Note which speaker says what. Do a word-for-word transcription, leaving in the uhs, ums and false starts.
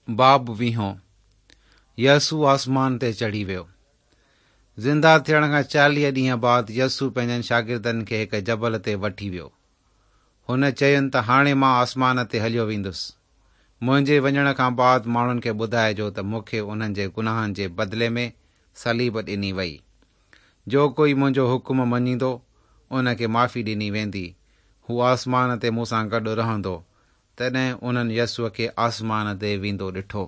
Speaker 1: باب ويهون، يسوع آسمان تي چڙهي ويو. زنده ٿيڻ کان چاليهه ڏينهن بعد يسوع پنهنجن شاگردن کي هڪ جبل تي وٺي ويو. هن چين ته هاڻي مان آسمان تي هليو ويندس. منهنجي وڃڻ کان بعد ماڻهن کي ٻڌائجو ته مون کي انهن جي گناهن جي بدلي ۾ صليب ڏني وئي. جو ڪوئي منهنجو حڪم مڃيندو ان کي معافي ڏني ويندي. هو آسمان تي مون سان گڏ رهندو. تڏهن انهن يسوع کي آسمان تي ويندو ڏٺو.